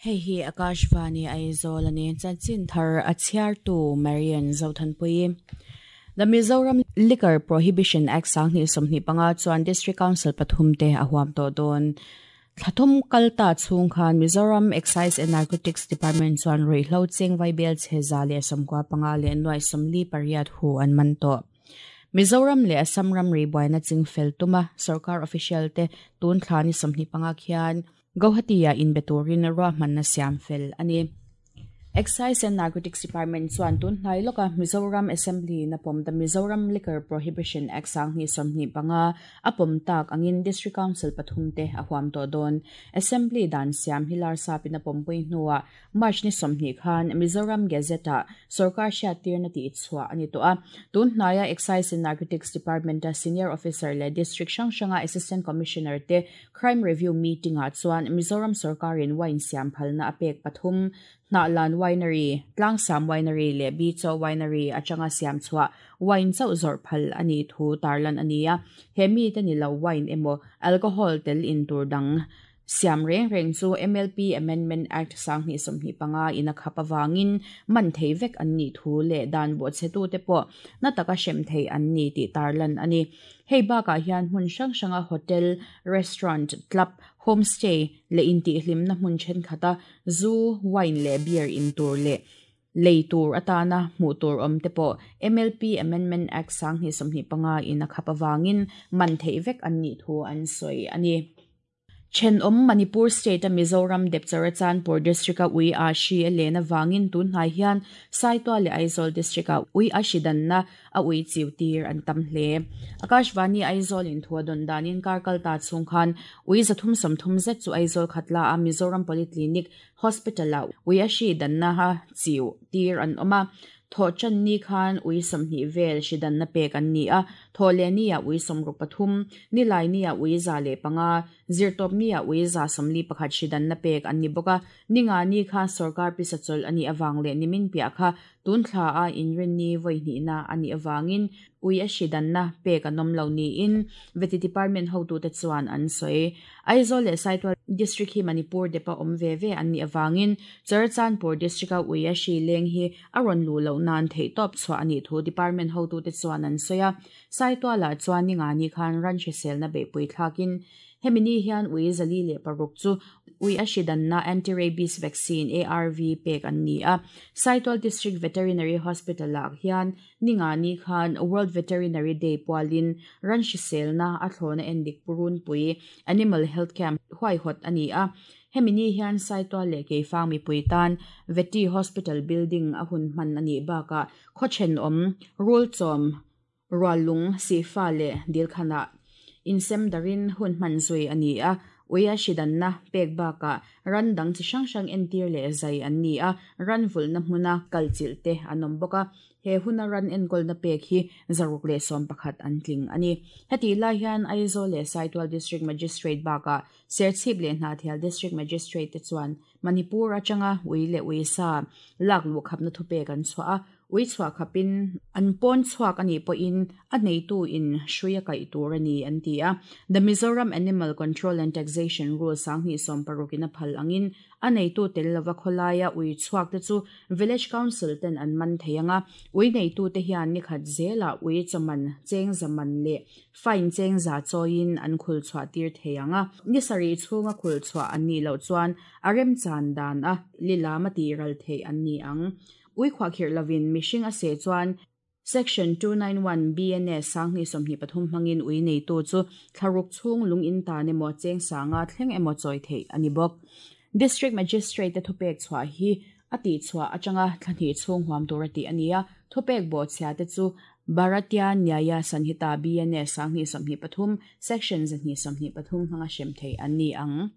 Hei hi Akashvani Aizawl a ni. Chanchin thar a chhiartu Marian Zothanpuii. The Mizoram Liquor Prohibition Act 2025 chuan District Council pathum te a huam tawh dawn. Thla thum kal ta chhung khan Mizoram Excise and Narcotics Department chuan ruihhlo cheng vaibel chhe 195 le 48 hu an man tawh. Mizoram leh Assam ramri buaina chingfel tuma sarkar official te tun thla ni 25 khian Guwahati-a inbe turin ruahmanna siam fel a ni. Excise and Narcotics Department chuan tun hnai lawka Mizoram Assembly na pawm the Mizoram Liquor Prohibition Act 2025 a pawm tak angin District Council pathum te a huam tawh dawn. Assembly dan siam hi larsapin a pawmpui hnuah March ni 20 khan Mizoram Gazette-ah sarkar hriattirna tih chhuah a ni tawh a. Tun hnaia Excise and Narcotics Department-a Senior Officer leh District hrang hranga Assistant Commissioner te Crime Review meeting-ah chuan Mizoram sarkarin wine siam phalna a pek pathum Hnahlan Winery, Tlangsam Winery leh Bicho Winery atanga siam chhuah wine chauh zawrh phal a nih thu tarlan a ni a. He mi te ni lo wine emaw alcohol tel in tur dang siam reng reng chu MLP Amendment Act 2025 in a khap awangin man thei vek an nih thu leh dan bawhchhe te pawh na taka hrem thei an ni tih tarlan a ni. Hei bakah hian hmun hrang hranga hotel, restaurant, club, homestay leh intihhlimna hmun thenkhat a zu, wine leh beer in tur leh lei tur atana hmuh tur awm te pawh MLP Amendment Act 2025 in a khap awangin man thei vek an nih thu an sawi a ni. Thenawm Manipur State a Mizoram dep Churachandpur District a ui a hri a len awangin tun hnai hian Saitual leh Aizawl District a ui a hri danna a ui chiu tir an tam hle. Akashvani Aizawl in thu a dawn danin kar kal ta chhung khan ui 330 zet chu Aizawl khatla a Mizoram Polyclinic Hospital a ui a hri danna ha chiu tir an awm a. Thaw chan ni khan ui 20 vel hri danna pek an ni a. Thaw le ni a ui 63, ni lai ni a ui 105, zirtawp ni a ui 141 hri danna pek an ni bawk a. Ni nga ni kha sarkar pisa chawlh ani awang leh nimin piah kha tun thla a inrin ni vawi hnihna ani awangin ui a hri danna pek an awm lo niin Vety Department hotu te chuan an sawi. Aizawl leh Saitual District hi Manipur depa awm ve ve an ni awangin Churachandpur District a ui a hri leng hi a rawn lu loh nan theih tawp chhuah ani thu department hotu te chuan an sawi a. Saitualah chuan ni nga ni khan ran hriselna beihpui thlakin hemi ni hian ui 406 chu ui a hri danna anti-rabies vaccine ARV pek an ni a. Saitual District Veterinary Hospital ah hian ni nga ni khan World Veterinary Day pualin ran hriselna a thlawna endik purun pui Animal Health Camp huai hawt ani a. Hemi ni hian Saitual leh Keifang mipui tan Vety Hospital building a hun hman ani bakah khawthen awm rul chawm rualung sifa leh dilkhana insem darin hun hman zui ani a. Ui a hri danna pek bakah ran dang chi hrang hrang entir leh zai an ni a. Ran vulna hmuna kalchilh te an awm bawk a. He huna ran enkawlna pek hi 611 an tling ani. Heti lai hian Aizawl leh Saitual District Magistrate bakah Serchhip leh Hnahthial District Magistrate te chuan Manipur atanga ui leh ui sa lak luh khapna thu pek an chhuah a. Ui chhuah khapin an pawn chhuak ani pawhin a neitu in hrui a kaih tur ani an ti a. The Mizoram Animal Control and Taxation Rule 2016 in a phal angin a neitu tel lova khawlaia ui chhuak te chu Village Council ten an man thei anga. Ui neitu te hian ni khat zela ui chaman cheng zaman leh fine cheng za chawiin an khul chhuah tir thei anga. Ni sarih chhunga khul chhuah an ni loh chuan a rem chan dan a lilama ti ral thei an ni ang. Ui khuah khirh lovin mihring a se chuan Section 291 BNS 2023 hmangin ui neitu chu thlaruk chhung lung in tan emaw cheng sanga thleng emaw chawi thei ani bawk. District Magistrate te thupek chhuah hi a tih chhuah atanga thlahnih chhung huam tur a tih ani a. Thupek bawhchhia te chu Bharatiya Nyaya Sanhita BNS 2023 Section 223 hmanga hrem thei an ni ang.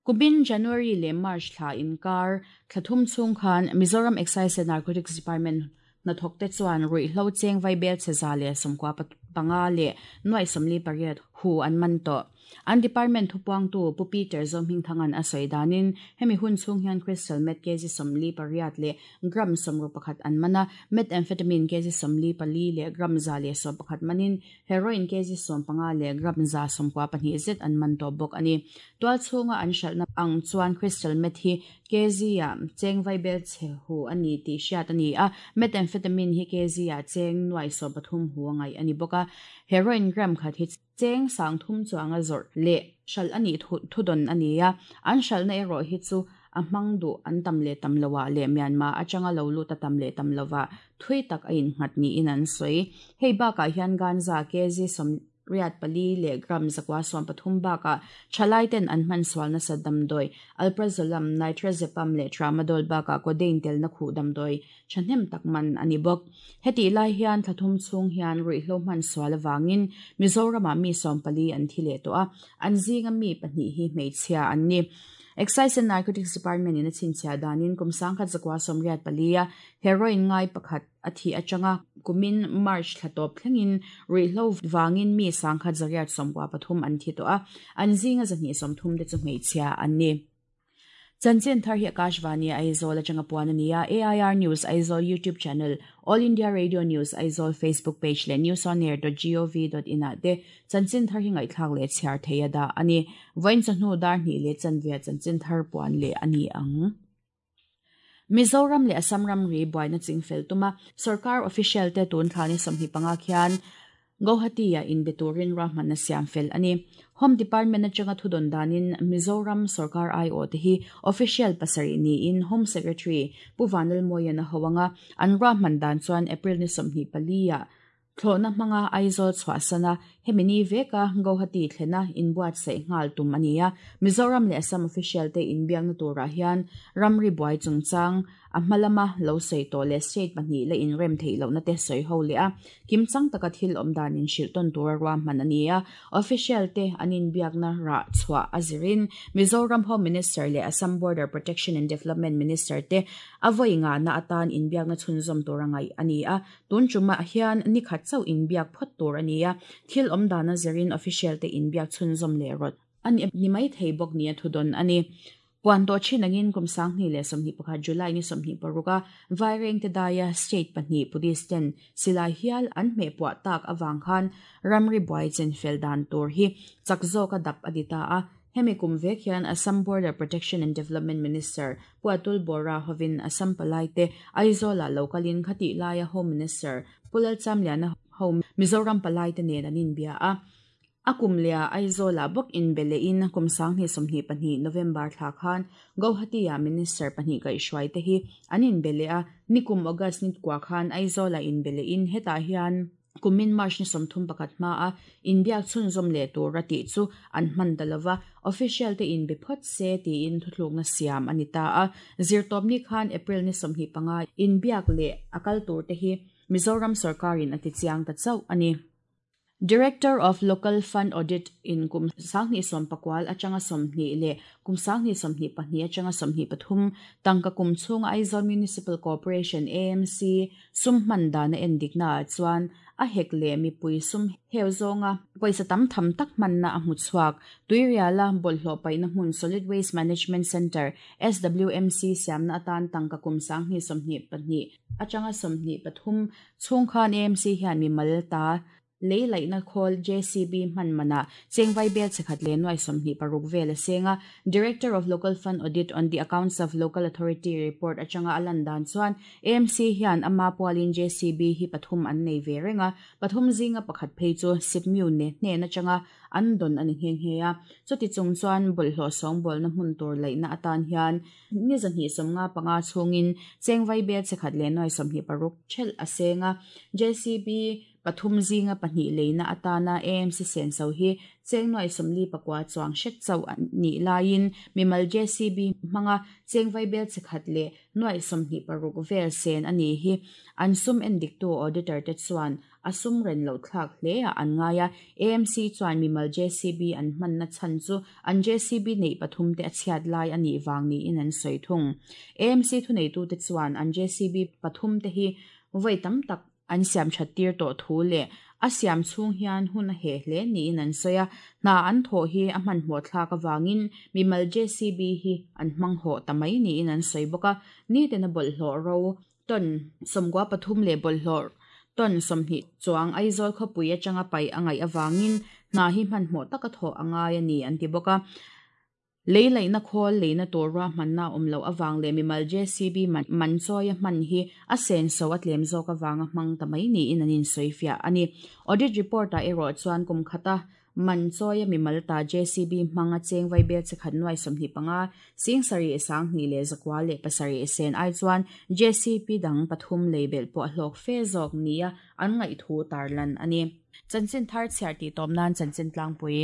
Kumin January leh March thla inkar thlathum chhung khan Mizoram Excise and Narcotics Department hnathawk te chuan ruihhlo cheng vaibel che 195 leh 48 hu an man tawh. An department thupuangtu Pu Peter Zohmingthanga'n a sawi danin hemi hun chhung hian crystal meth kg 48 leh gram 61 an man a, methamphetamine kg 44 leh gram 111 manin heroin kg 15 leh gram 192 zet an man tawh bawk a ni. Tual chhunga an hralhna ang chuan crystal meth hi kg ah cheng vaibel chhe hu a ni tih hriat a ni a, methamphetamine hi kg ah cheng nuai 13 hu a ngaih a ni bawk a, heroin gram khat hi cheng 3000 chuanga zawrh leh hralh a nih thudawn a ni a, an hralhna erawh hi chu a hmang duh an tam leh tam lovah leh Myanmar atanga lo lut a tam leh tam lovah thui tak a innghat niin an sawi. Hei bakah hian ganja kg 84 leh gram 113 bakah thalai ten an hman sual nasa damdawi alprazolam, nitrazepam leh tramadol bakah codeine telna khuh damdawi thahnem tak man a ni bawk. Hetih lai hian thla thum chhung hian ruihhlo hman sual avangin Mizoramah mi 14 an thi leh tawh a, an zinga mi pahnih hi hmeichhia an ni. Excise and Narcotics Department in a chhinchhiah danin kum 1984 a heroin ngai pakhat a thi atanga kumin March thla tawp thlengin ruihhlo vangin mi 1993 an thi tawh a, an zinga 230 te chu hmeichhia an ni. Chanchin thar hi Akashvani Aizawl atanga puan a ni a, AIR News Aizawl YouTube channel, All India Radio News Aizawl Facebook page leh newsonair.gov.in ah te chanchin thar hi ngaihthlak leh chhiar thei a dah a ni. Vawiin chawhnu dar hnih leh chanve chanchin thar puan leh a ni ang. Mizoram leh Assam ramri buaina chingfel tuma sorkar official te tun thla ni 25 khian Guwahati ah inbe turin ruahmanna siam fel a ni. Home Department atanga thudawn danin Mizoram sorkar aiawh te hi official pasarih niin Home Secretary Pu Vanlalmawian a ho anga an ruahman dan chuan April ni 24 ah thlawhna hmanga Aizawl chhuahsan a, hemi ni veka Guwahati thlena inbuatsaih nghal tum a ni a. Mizoram leh Assam official te inbiakna turah hian ramri buai chungchang a hma lama lo sawi tawh leh state pahnih la inrem theih lohna te sawi ho leh a, kimchang taka thil awm dan inhrilh tawn tura ruahman a ni a. Official te an inbiakna rah chhuah a zirin Mizoram Home Minister leh Assam Border Protection and Development Minister te a vawi ngahna atan inbiakna chhunzawm tura ngaih a ni a. Tun tumah hian ni khat chauh inbiak phawt tur a ni a, thil awm dan a zirin official te inbiak chhunzawm leh rawt a ni mai thei bawk nia thudawn a ni. Puan tawh thin angin kum 2021 July ni 26 a Vairengte daia state pahnih police ten silai hial an hmeh puah tak avang khan ramri buai chenfel dan tur hi chak zawka dap a ni ta a. Hemi kum vek hian Assam Border Protection and Development Minister Pu Atul Bora hovin Assam palai te Aizawl ah lo kalin khatih laia Home Minister Pu Lalchamliana ho Mizoram palai te nen an inbia a. A kum leh ah Aizawl ah bawk inbe lehin kum 2022 November thla khan Guwahati ah Minister pahnih kaihhruai te hi an inbe leh a. Nikum August ni kua khan Aizawl ah inbe lehin hetah hian kumin March ni 31 hma a inbiak chhunzawm leh tur a tih chu an hman ta lova, official te inbe phawt se tiin thuthlukna siam a ni ta a. Zirtawpni khan April ni 25 inbiak leh a kal tur te hi Mizoram sorkarin a tichiang ta chauh a ni. Director of Local Fund Audit in kum 2019 atanga 20 leh kum 2022 atanga 23 tangka kum chhunga Aizawl Municipal Corporation AMC sum hman dan a endikna ah chuan a hek leh mipui sum heu zawnga pawisa tam tham tak hmanna a hmu chhuak. Tuiriala bawlhhlawh paihna hmun Solid Waste Management Centre SWMC siamna atan tangka kum 2022 atanga 23 chhung khan AMC hian mimal ta lei laihna khawl JCB hman manah chengvai bel chekhat leh nuai 26 vel a senga. Director of Local Fund Audit on the Accounts of Local Authority report atanga a lan dan chuan AMC hian ama pualin JCB hi pathum an nei ve renga, pathum zinga pakhat phei chu sipmiu ne hnen atanga an don ani nghe nghe a. Chuti chung chuan bawlhhlawh sawng bawlna hmun tur laihna atan hian ni 255 chhungin chengvai bel chekhat leh nuai 26 thel a senga. JCB pathum zinga pahnih leina atana AMC senso hi cheng nuai 44 chuang hret chauh ni laiin mimal JCB hmanga chengvai bel chekhat leh nuai 26 vel sen ani hi an sum endiktu auditor te chuan a sum ren lo thlak hle a an ngaia. AMC chuan mimal JCB an hmanna chan chu an JCB nei pathum te a chhiat lai ani wang ni in an sawi thung. AMC thu nei tu te chuan an JCB pathum te hi voi tam tak an siam that tir to thu le A siam chhung hian hun a heh hle niin an sawi a, hna an thawh hi a hmanhmawh thlak avangin mimal JCB hi an hmang hawh ta mai niin an sawi bawk a, nitin a bawlhhlawh ro ton 93 leh bawlhhlawh ton 20 chuang Aizawl khawpui atanga paih a ngaih avangin hna hi hmanhmawh taka thawh a ngai a ni an ti bawk a. Lei laihna khawl leina tur ruahmanna a awm loh avang leh mimal JCB man chawi a hman hi a senso a tlem zawk avanga hmang ta mai niin an insawifiah a ni. Audit report-ah erawh chuan kum khata man chawi a mimal ta JCB hmang a cheng vaibel chikhat nuai 25, 7000 207 sen ai chuan JCB dang pathum lei belh pawh a hlawk fe zawk nia an ngaihthu tarlan a ni. Chanchin thar chhiar tih tawp nan chanchin tlangpui.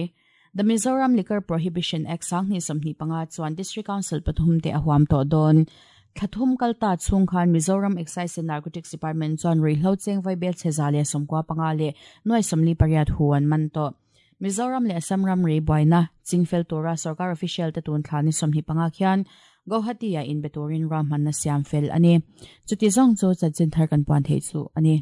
The Mizoram Liquor Prohibition Act 2025 chuan District Council pathum te a huam tawh dawn. Thla thum kal ta chhung khan Mizoram Excise and Narcotics Department chuan ruihhlo cheng vaibel chhe 195 leh nuai 48 hu an man tawh. Mizoram leh Assam ramri buaina chingfel tura sorkar official te tun thla ni 25 khian Guwahati-ah inbe turin ruahmanna siam fel a ni. Chuti zawng chu chanchin thar kan puan theih chu a ni.